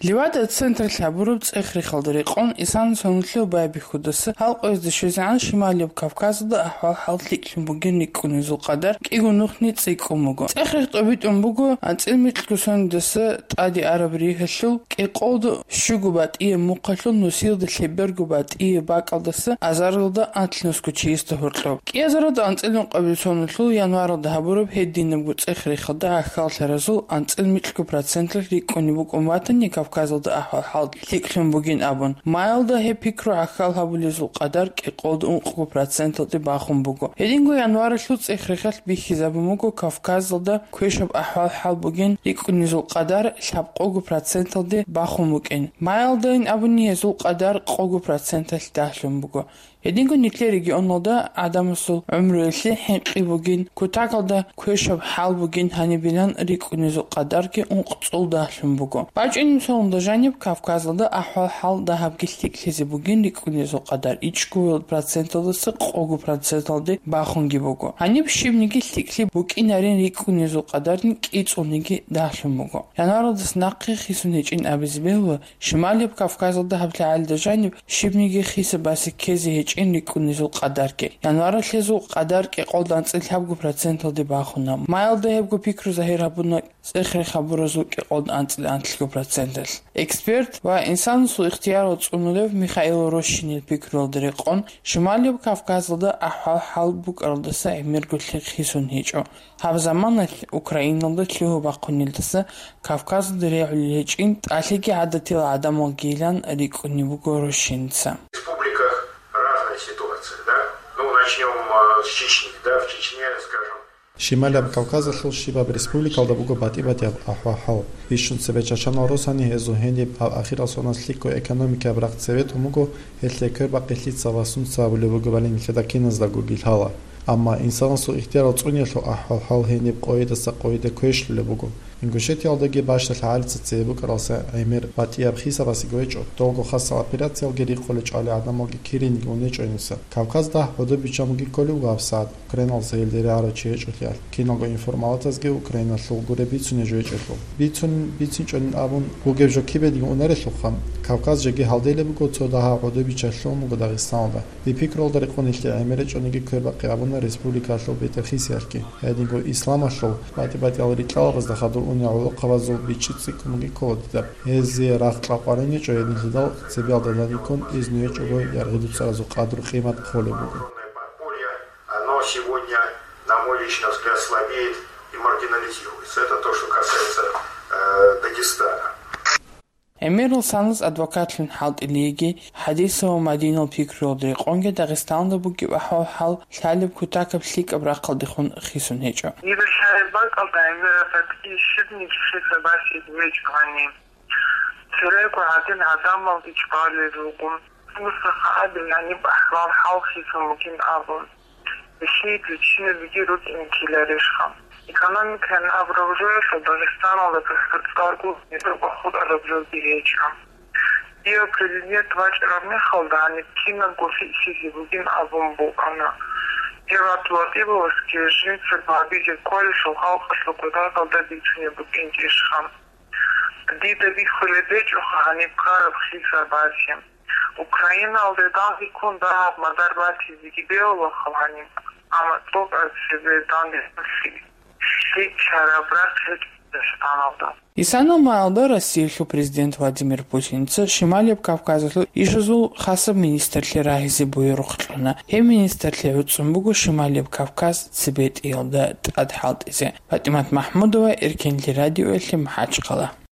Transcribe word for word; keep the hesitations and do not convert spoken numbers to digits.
Левада центрлъ гьабураб цӀех-рехалда рекъон, исана сонлъул байбихьудаса гьал къоязда щвезегӀан Шималияб Кавказалда ахӀвал-хӀал лъикӀлъун бугин рикӀкӀунезул къадар кӀиго нухни цӀикӀкӀун буго. ЦӀех-рех тӀобитӀун буго анцӀил микьго сонидаса тӀаде араб ригьалъул кӀикъолда щуго батӀияб мухъалъул нусиялда лъеберго батӀияб бакӀалдаса азаралда анлънусго чиясда гьоркьоб. КӀиазаралда анцӀил ункъабил сонлъул январалда гьабураб гьединабго цӀех-рехалда гӀахьаллъаразул анцӀил микьго процентлъ рикӀкӀунеб букӀун батани, Кавказалда ахӀвал-хӀал лъикӀлъун бугин абун. Майалда гьеб пикру гӀахьал гьабулезул къадар кӀикъолда ункъго проценталде бахун буго. Гьединго январалъул цӀех-рехалъ бихьизабун буго Кавказалда квешаб ахӀвал-хӀал бугин рикӀкӀунезул къадар лъабкъого проценталде бахун букӀин. Майалдайин абуни гьезул къадар къого проценталъ дагьлъун буго. Гьединго нилъер регионалда гӀадамасул гӀумруялъе хӀинкъи бугин, кутакалда квешаб хӀал бугин гьанибилан рикӀкӀунезул къадарги ункъ-цӀул дагьлъун буго. БачӀунеб сонда жаниб Кавказалда ахӀвал-хӀал дагьабги лъикӀлъизе бугин рикӀкӀунезул къадар ичӀго проценталдаса къого проценталде бахунги буго. Гьаниб щибниги лъикӀлъи букӀинарин рикӀкӀунезул къадарни кӀицӀулниги дагьлъун буго. Январалдаса нахъе хисун гьечӀин абизе бегьула, Шималияб Кавказалда гьаб лъагӀалида жаниб щибниги хисабасе ккезе гьечӀин рикӀкӀунезул къадарги. Январалъ гьезул къадар кӀикъолда анцӀил лъабго проценталде бахуна. Майалда гьебго пикру загьир гьабуна цӀех-рех гьабуразул кӀикъолда анцӀил анлъго проценталъ. Эксперт ва инсанасул ихтиярал цӀунулев Михаил Рощинил пикруялда рекъон, Шималияб Кавказалда ахӀвал-хӀал букӀаралдаса гӀемерго лъикӀ хисун гьечӀо. Гьаб заманалъ Украиналда лъугьа-бахъунилдаса Кавказалда регӀулел гьечӀин тӀалъиги гӀадатил гӀадамалгийилан рикӀкӀунеб буго Рощинца. В республиках разная ситуация, да? Ну, начнём, э, с Чечни, да, в Чечне, скажем. Шималияб Кавказалъул щибаб республикалда буго батӀи-батӀияб ахӀвал-хӀал. Бищун цебе чачанал росани гьезул гьениб гьаб ахирал соналъ лъикӀго экономикаяб рахъ цебетун буго, гьелъие квербахъи лъица ва сунца гьабулеб бугебали нилъеда киназдаго гилъала. Амма инсанасул ихтиярал цӀуниялъул ахӀвал-хӀал гьениб къойидаса къойида квешлъулеб буго. Ингушетиялдаги бащдалъ гьалица цебе букӀаралса гӀемер батӀияб хисабасеги гьечӀо, долго хасал операциялги рикъулел чӀвали гӀадамалги кириниги унечӀо гьениса. Кавказда гӀодобичан буги кколев гьабсагӀат, Украиналдаса гьелде рагӀарав чи гьечӀолъиялъ, киналго информалатазги Украиналъул гуреб бицунеб жо гьечӀелъул. Бицун, бицинчӀонин абун бугеб жо кибедги унарелъулха, Кавказ жеги гьалделеб буго, цо дагьаб гӀодобичалъун буго Дагъистаналда. Дир пикруялда рекъон нилъее гӀемер гьечӀониги квербахъи гьабуна республикаялъул бетӀер хисиялъги. Гьединго исламалъул батӀи-батӀиял рикьалабазда хадур унел гӀолохъабазул бичӀчӀи цӀикӀкӀунги ккола дида. Гьезие рагъ кьакъварин гьечӀо гьединлъидал цебиялда даниккун изну гьечӀого яргъи дуцаразул къадру-къимат хъолеб буго. Оно сегодня, на мой личный взгляд, слабеет и маргинализируется. Это то, что касается, э, Дагестана. ГӀемерал санас адвокатлъун хӀалтӀилиги, ХӀадисов ва Мадинал пикруялда рекъонги Дагъистанда бугеб ахӀвал-хӀал лъалеб кутакаб лъикӀаб рахъалдехун хисун гьечӀо. Дир лъазе бакӀалда гӀемераб батӀи щибниги хисабасе гьечӀо гьаниб. Церего гьадин гӀадамалги чӀвалел руго. Муса абил гьаниб ахӀвал-хӀал хисун бугин абун. Россиялъул чиназеги рукӀине ккеларищха? Экономикаялъ абураб жоялъул Дагъистаналда цӀар-, цӀаргу гьеб бахутӀараб жоги гьечӀо. Дие президент вачӀараб мехалда гьаниб кинабго лъикӀлъизе бугин абун букӀана. Гьев ГӀабдулатӀиповасги жинца гьабизе кколелъул халкъалъул кутакалда бицунеб букӀинчӀищха? Дида бихьулеб гьечӀоха гьаниб ккараб хисабазе. Украиналде данде ккун дагьаб мадар батизеги бегьулаха гьаниб, амма цӀокӀаб цебе данде лъикӀлъараб рахъ гьечӀо Дагъистаналда. Исана майалда Россиялъул президент Владимир Путинца Шималияб Кавказалъул ишазул хасаб министрлъи рагьизе буюрухъ кьуна. Гьеб министрлъи гӀуцӀун буго Шималияб Кавказ цебетӀиялда тӀад хӀалтӀизе. ПатӀимат МахӀмудова, Эркенлъи радиоялъе, МахӀачхъала.